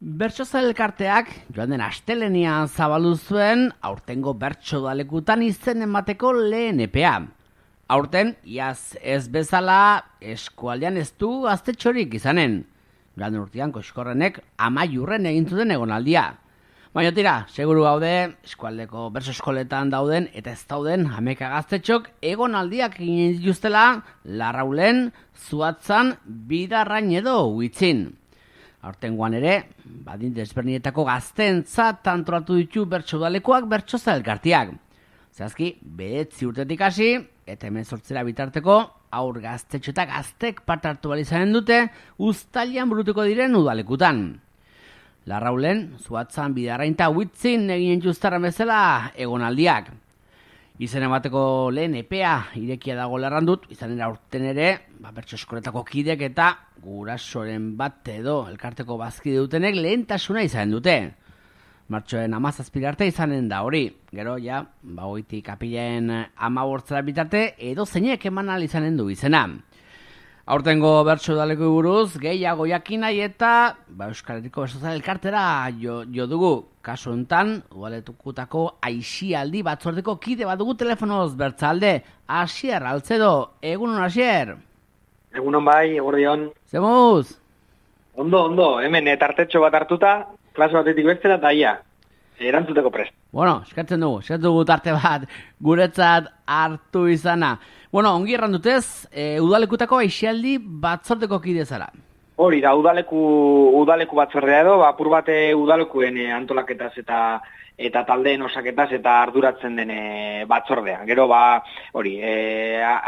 Bertso elkarteak joan den astelenean zabaldu zuen aurtengo bertso dalekutan izen emateko lehen epea. Aurten, iaz ez bezala, eskualdean ez du gaztetxorik izanen. Joan den urtean Koxkorrenek amaiurren egin zuten egonaldia. Baina tira, seguru gaude, eskualdeko bertso eskoletan dauden eta ez dauden hameka gaztetxok egonaldiak egin dituztela Larraulen, Zuatzan, Bidarrain edo Huitzin. Aurtengoan ere, badin desberdinetako gazteentzat antolatu ditu bertso udalekoak bertsoza elkarteak. Zehazki, 9 urtetik hasi eta 18 bitarteko aur gaztetxo eta gaztek parte hartu behar izanen dute uztailean burutuko diren udalekutan. Larraulen, Zuatzan, Bidarrain eta Huitzin egin justaren bezala egonaldiak. Izen emateko lehen epea irekia dago lerrandut, izanen aurten ere, bertso eskoletako kidek eta gurasoren bat edo elkarteko bazkide dutenek lehentasuna izanen dute. Martxoen 17 arte izanen da hori. Gero, ja, goitik apilaen 15 bitarte edo zeinek eman ahal izanen du izena. Aurtengo bertso udaleko buruz, gehiago jakin nahi eta Euskal Herriko bertso elkartera jo dugu. Kasu honetan, udaletukutako aisialdi batzordeko kide bat dugu telefonoz bertzalde. Asier, Altzedo, egunon Asier? Egunon bai, eguerdion. Zemuz? Ondo, hemen tartetxo bat hartuta, klase batetik bestera eta ia, erantzuteko prest. Bueno, eskertzen dugu tarte bat guretzat hartu izana. Bueno, ongi errandutez, udalekutako aisialdi batzordeko kide zara. Hori da, udaleku batzordea edo, apur bate udalekuen antolaketaz eta taldeen osaketaz eta arduratzen den batzordea. Gero, hori,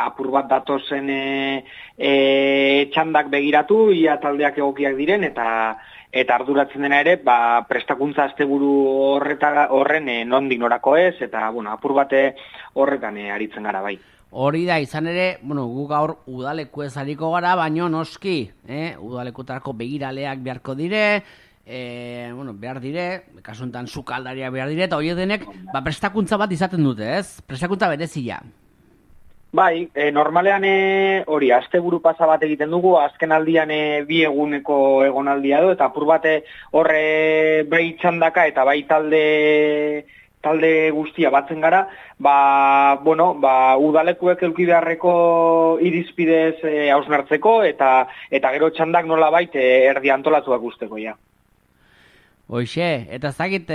apur bat datozen txandak begiratu, ia taldeak egokiak diren, eta arduratzen dena ere, prestakuntza asteburu horren nondik norako ez, eta, apur bate horretan aritzen gara bai. Hori da, izan ere, gu gaur udaleku ez hariko gara, baino noski, udalekutarako begiraleak beharko dire, behar dire, kasuntan sukaldaria behar dire, eta horiek denek, prestakuntza bat izaten dute, ez? Prestakuntza berezia. Bai, normalean hori, asteburu pasa bat egiten dugu, azken aldian 2 eguneko egonaldia du, eta apur bate horre behi txandaka eta bai talde guztia batzen gara, udalekuek eduki beharreko irizpidez hausnartzeko eta gero txandak nolabait erdi antolatuak usteko, ja. Hoxe, eta ez dakit,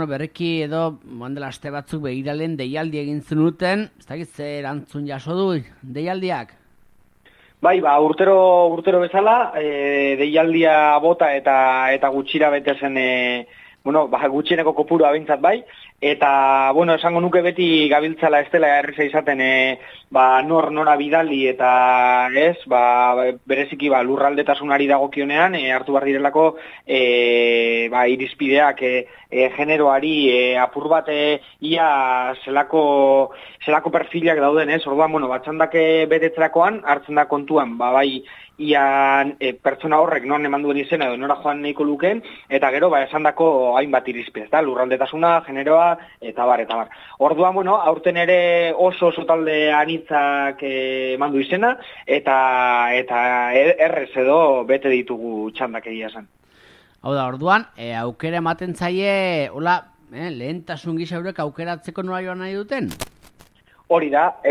berriki edo dela aste batzuk begiralen deialdi egin zenuten, ez dakit zer erantzun jaso du deialdiak? Bai, urtero bezala, deialdia bota eta gutxira bete zen, gutxieneko kopuru abintzat bai, eta, esango nuke beti gabiltzala ez dela erreza izaten, nora bidali eta ez, bereziki lurraldetasunari dagokionean, hartu behar direlako, irizpideak generoari apur bat ia zelako perfilak dauden, ez? Orduan, batxandak betetzerakoan, hartzen da kontuan, ia pertsona horrek non eman duen izena edo nora joan nahiko lukeen, eta gero esandako hainbat irizpidez, lurraldetasuna, generoa, eta bar. Orduan, aurten ere oso talde anitzak eman du izena, eta errez edo bete ditugu txandak egia esan. Hau da, orduan, aukera ematen zaie, lehentasun gisa eurek aukeratzeko nora joan nahi duten? Hori da,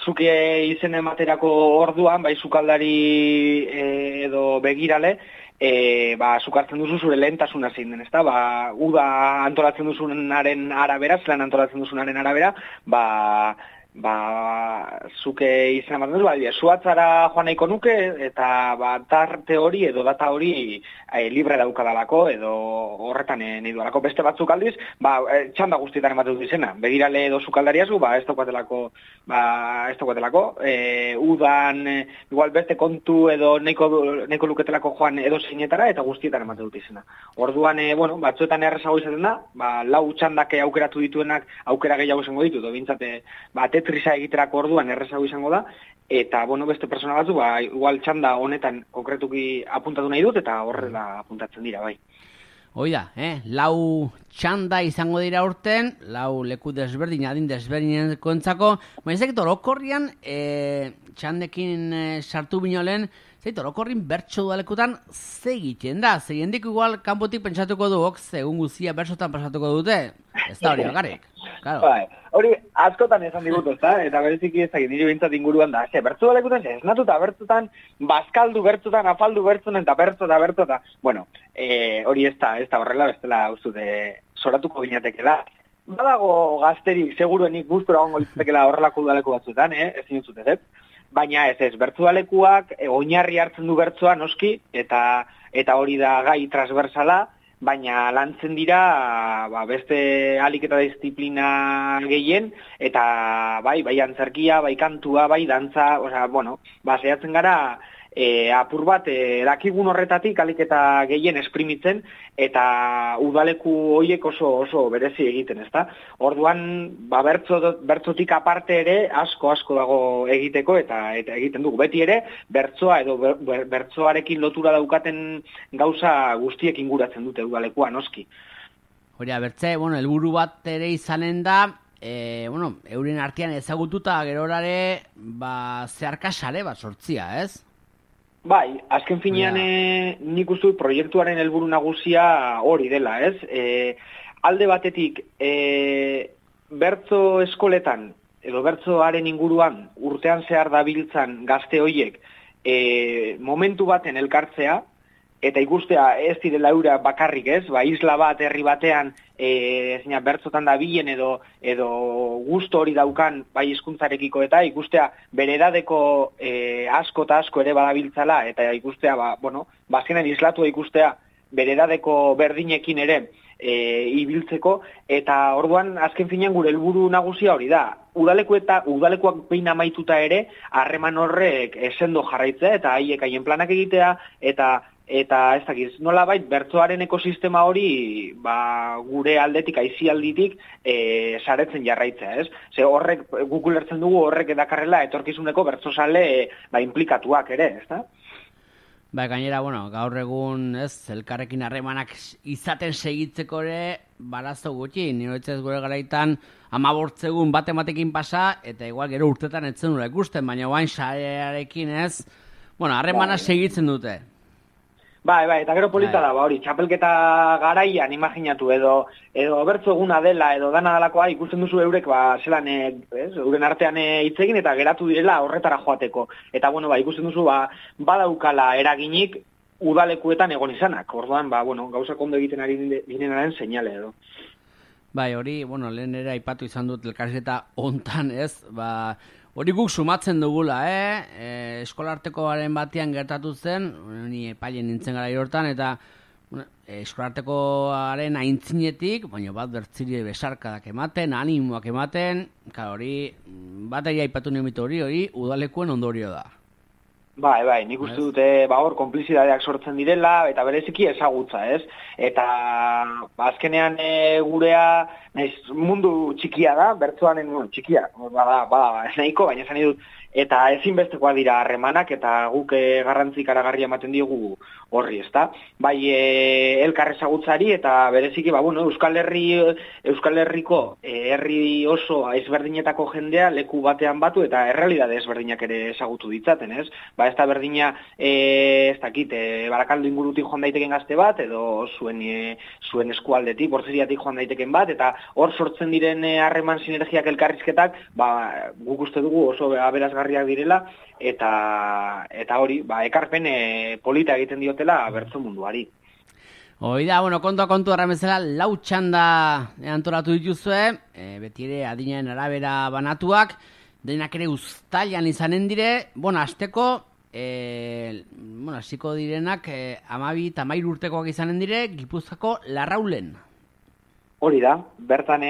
zuke izen ematerako orduan, sukaldari edo begirale, zuk hartzen duzu zure lehentasuna zein den, ezta? Uda antolatzen duzunaren arabera, zelan antolatzen duzunaren arabera, zuke izan ematen duzu, Zuatzara joan nahiko nuke, eta tarte hori edo data hori libre daukadalako, edo horretan nahi dualako. Beste batzuk aldiz, txanda guztietan ematen dut izena. Begirale edo sukaldariazu, ez daukatelako, udan, igual beste kontu edo nahiko luketelako joan edo zeinetara, eta guztietan ematen dut izena. Orduan, batzuetan errezago izaten da, 4 txandak aukeratu dituenak aukera gehiago izango ditu, bintzate, tetrisa egiterako orduan errezago izango da, eta, beste persona batzu, igual txanda honetan konkretuki apuntatu nahi dut, eta horrela apuntatzen dira, bai. Hoi da, 4 txanda izango dira urten, 4 leku desberdin, adin desberdinentzako entzako, orokorrian, txandekin sartu binolen, Zeit, orokorrin bertso udalekutan ze egiten da, ze jendik igual kanpotik pentsatuko duok, egun guzia bertsotan pasatuko dute, ez da hori bakarrik. Claro. Bai, hori askotan esan digutu, eta bereziki ezagik nire bintzat inguruan da, bertso udalekutan, esnatuta bertzotan, bazkaldu bertzotan, afaldu bertzotan, eta bertzota. Bueno, hori ez da horrela, bestela uzute soratuko ginatekela. Badago gazterik, seguruenik gustura gongo litzatekela horrelako udaleku batzuetan, ezin zutez, ez? Baina ez, bertsoalekuak oinarri hartzen du bertsoa noski, eta hori da gai transversala, baina lantzen dira beste alik eta disiplina gehien, eta bai antzerkia, bai kantua, bai dantza, saiatzen gara apur bat dakigun horretatik alik eta gehien esprimitzen, eta udaleku horiek oso berezi egiten, ezta? Orduan, bertzotik aparte ere asko dago egiteko, eta egiten dugu. Beti ere, bertzoa edo bertzoarekin lotura daukaten gauza guztiek inguratzen dute udalekua, noski. Hori, bertze, helburu bat ere izanen da, euren artean ezagututa gerorare, zeharkasare bat sortzia, ez? Bai, azken finean nik uste proiektuaren helburu nagusia hori dela, ez? Alde batetik, bertzo eskoletan, edo bertzoaren inguruan, urtean zehar dabiltzan gazte hoiek, momentu baten elkartzea, eta ikustea ez direla eura bakarrik, ez? Isla bat, herri batean, bertzotan dabilen edo gusto hori daukan bai hizkuntzarekiko, eta ikustea bere edadeko asko eta asko ere badabiltzala, eta ikustea, bazkenan islatua ikustea bere edadeko berdinekin ere ibiltzeko, eta orduan azken finean gure helburu nagusia hori da. Udalekuak behin amaituta ere, harreman horrek sendo jarraitzea, eta haien planak egitea, eta ez dakiz, nolabait bertsoaren ekosistema hori gure aldetik, aisialditik saretzen jarraitzea, ez? Ze horrek, guk ulertzen dugu horrek edakarrela etorkizuneko bertsozale inplikatuak ere, ez da? Gainera, gaur egun, elkarrekin harremanak izaten segitzeko ere, barazo gutxi, niretzez gure garaitan 15 egun batematekin pasa, eta igual gero urtetan etzen nula ikusten, baina guain sarearekin harremana segitzen dute. Bai, eta gero polita da, hori, txapelketa garaian imaginatu edo bertzo eguna dela edo dana dalakoa ikusten duzu eurek zelan euren artean hitz egin eta geratu direla horretara joateko. Eta ikusten duzu badaukala eraginik udalekuetan egon izanak. Orduan, gauzak ondo egiten ari direnaren seinale edo. Bai, hori, lehen ere aipatu izan dut elkarrizketa hontan, hori guk sumatzen dugula, eskolartekoaren batean gertatu zen, ni epailen nintzen gara hortan, eta eskolartekoaren aintzinetik, bat bertziri besarkadak ematen, animoak ematen, hori, bat aipatu niomitu hori udalekuen ondorio da. Bai, nik uste dute hor konplizidadeak sortzen direla, eta bereziki ezagutza, ez? Eta azkenean gurea mundu txikia da, bertsoanen txikia, bada, nahiko, baina esan dut, eta ezinbestekoa dira harremanak, eta guk garrantzi ikaragarri ematen diogu horri, ezta? Bai, elkar ezagutzari, eta bereziki, Euskal Herriko herri oso ezberdinetako jendea leku batean batu, eta errealidade ezberdinak ere ezagutu ditzaten, ez? Ez da berdina, ez dakit, Barakaldo ingurutik joan daiteken gazte bat, edo zuen eskualdetik, Bortzeriatik joan daiteken bat, eta hor sortzen diren harreman sinergiak elkarrizketak, guk uste dugu oso aberasgarriak direla, eta hori, ekarpen polita egiten diotela bertso munduari. Hoi da, kontu arramezela, 4 txanda antolatu dituzue, beti ere adinaren arabera banatuak, denak ere uztailan izanen dire, azteko, hasiko direnak 12 eta 13 urtekoak izanen dire, Gipuzkoako Larraulen. Hori da, bertan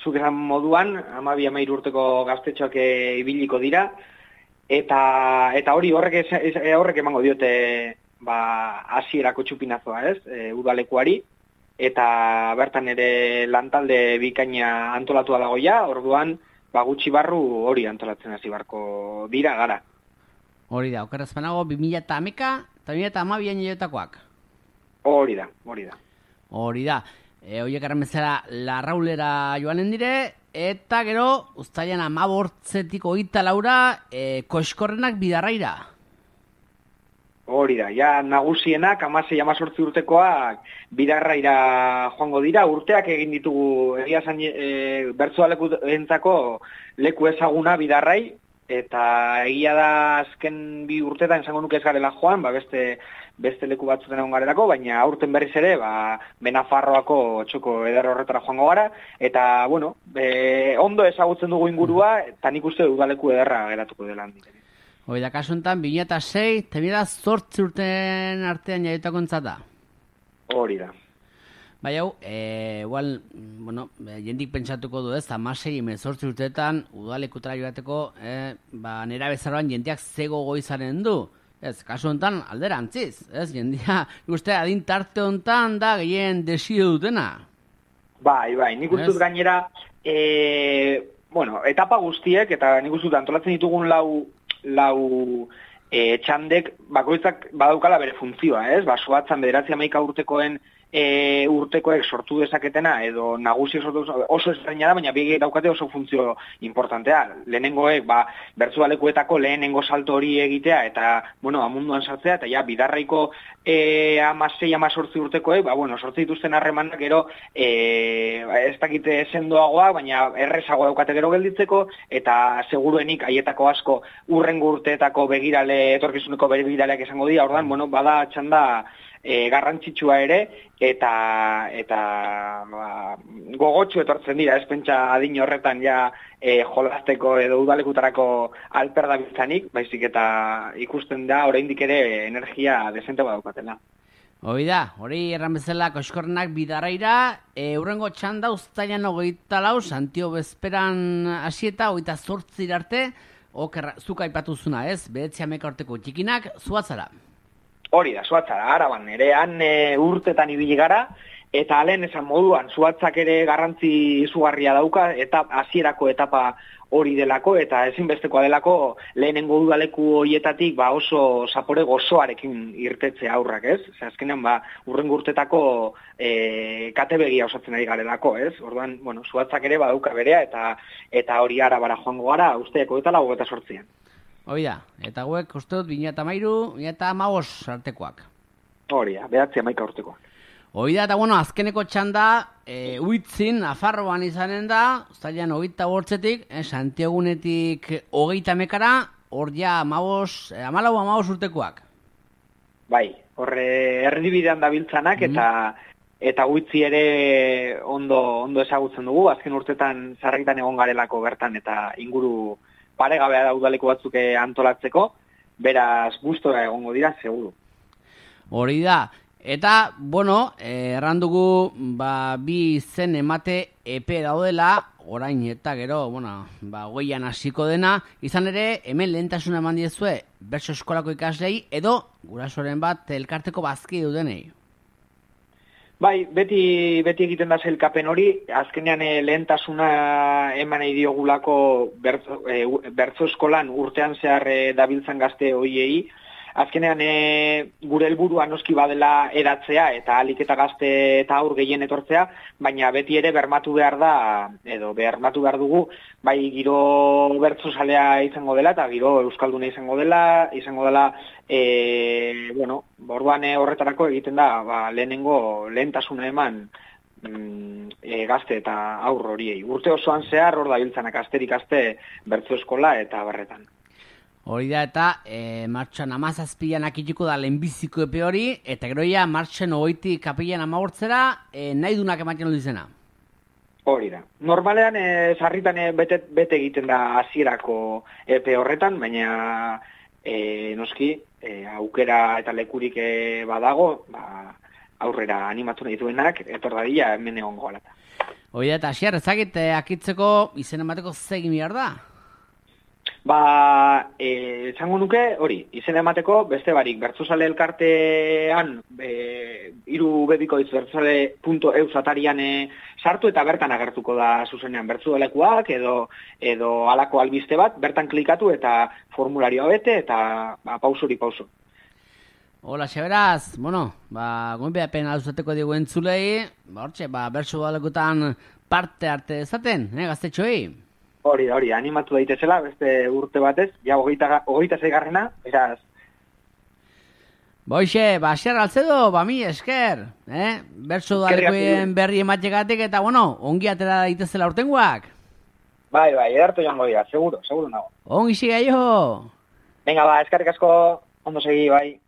zuk esan moduan, 12-13 urteko gaztetxoak ibiliko dira, eta hori horrek emango diote hasierako txupinazoa, ez, udalekuari, eta bertan ere lantalde bikaina antolatua dagoia, orduan, gutxi barru hori antolatzen hasi barko dira gara. Hori da, okerrazpanago 2011 eta 2012 nioetakoak. Hori da. Hori da, horiek arremezera Larraulera joanen dire, eta gero, uztailan 15 hogeita laura, Koiskorrenak Bidarraira. Hori da, ja nagusienak 16-18 urtekoak bidarraira joango dira, urteak egin ditugu egia zan bertsolekuentzako leku ezaguna bidarrai, eta egia da azken 2 urtetan esango nuke ez garela joan, beste leku batzuten egon garelako, baina aurten berriz ere, Benafarroako txoko eder horretara joango gara, eta, bueno, ondo ezagutzen dugu ingurua, eta nik uste udaleku ederra geratuko dela handik. Hoi da, kasu enten, 2006, temida 8 urten artean jaiotako entzata. Hori da. Bai hau, igual, bueno, jendik pentsatuko du ez, 16-18 urteetan udalekutara joateko, nera bezaroan jendeak zego goizaren du. Ez, kasu honetan alderantziz, ez, jendia, uste, adin tarte honetan da gehien desio dutena. Bai, nik uste dut gainera, etapa guztiek, eta nik uste dut antolatzen ditugun lau txandek bakoitzak badaukala bere funtzioa, ez? Soatzan 9-11 urtekoen urtekoek sortu dezaketena edo nagusi sortu oso ezberdina da, baina biek daukate oso funtzio importantea. Lehenengoek bertsolekuetako lehenengo salto hori egitea eta amunduan sartzea, eta ja bidarraiko 16-18 urtekoek sortze dituzten harremanak gero ez dakite sendoagoak, baina errezago daukate gero gelditzeko, eta seguruenik haietako asko urrengo urteetako etorkizuneko begiraleak esango dira. Ordan bada txanda garrantzitsua ere, eta gogotsu etortzen dira, ez pentsa adin horretan ja jolasteko edo udalekutarako alperda biztanik, baizik eta ikusten da oraindik ere energia desente badaukatela. Hori erran bezala Koxkorrenak bidarraira, urrengo txanda uztailan 24, Santio bezperan hasieta 28 arte, zuk aipatu zuna, ez? 9-11 urteko txikinak, Zuatzara. Hori da, Zuatzara, Araban, ere han urtetan ibili gara, eta alen esan moduan, Zuatzak ere garrantzi izugarria dauka, eta hasierako etapa hori delako, eta ezinbestekoa delako lehenengo udaleku horietatik oso zapore gozoarekin irtetze aurrak, ez? Azkenean, urrengo urtetako katebegia osatzen ari garelako, ez? Orduan, Zuatzak ere badauka berea, eta hori Arabara joango gara, usteeko eta 28an. Hoi da, eta guek uste dut 2013, 2015 artekoak. Hori da, 9-11 urtekoak. Hoi da, eta azkeneko txanda, Uitzin, Nafarroan izanen da, uztailean 28-tik, Santiagunetik 30-ekara, hor ja 14 urtekoak. Bai, horre erdibidean dabiltzanak, eta Uitzi ere ondo ezagutzen dugu, azken urtetan sarritan egon garelako bertan, eta inguru paregabea da udaleko batzuk antolatzeko, beraz gustora egongo dira, seguru. Hori da, eta, errandugu, bi izen emate epe daudela, orain eta gero, goian hasiko dena, izan ere, hemen lehentasuna eman diezue, bertso eskolako ikaslei, edo gurasoren bat elkarteko bazki dudenei. Bai, beti egiten da sailkapen hori, azkenean lehentasuna eman nahi diogulako bertso eskolan urtean zehar dabiltzan gazte hoiei. Azkenean gure helburua noski badela eratzea eta ahalik eta gazte eta aur gehien etortzea, baina beti ere bermatu behar dugu, bai giro bertsozalea izango dela eta giro euskalduna izango dela, orduan horretarako egiten da lehentasuna eman gazte eta aur horiei. Urte osoan zehar hor dabiltzanak asterik aste bertso eskola eta berretan. Hori da, eta martxan 17an akituko da lehenbiziko epe hori, eta gero ja martxan 20 kapillan 15 nahi dunak ematen dut izena. Hori da. Normalean sarritan bete egiten da hasierako epe horretan, baina noski aukera eta lekurik badago, aurrera animatu nahi duenak, etor dadila hemen egongo alata. Hori da, eta hasier, ezagit akitzeko izen emateko zegin behar da? Esango nuke, hori, izen emateko, beste barik, bertsozale elkartean, irubebikoitz bertsozale.eus atarian sartu eta bertan agertuko da zuzenean bertsolekuak edo halako albiste bat, bertan klikatu eta formularioa bete eta pausori pauso. Hola, xeberaz, gomenpeapen alduzateko digu entzulei, bertsolekutan parte arte dezaten, gaztetxoei? Hori, animatu daitezela, beste urte batez, ja 26 garrena, beraz. Boixe, xer altzedo, mi esker, bertso dalekoen berri emategatik eta, bueno, ongi atera daitezela urtengoak. Bai, edartu joango dira, seguro nago. Ongi siga jo. Venga, eskerrik asko, ondo segi, bai.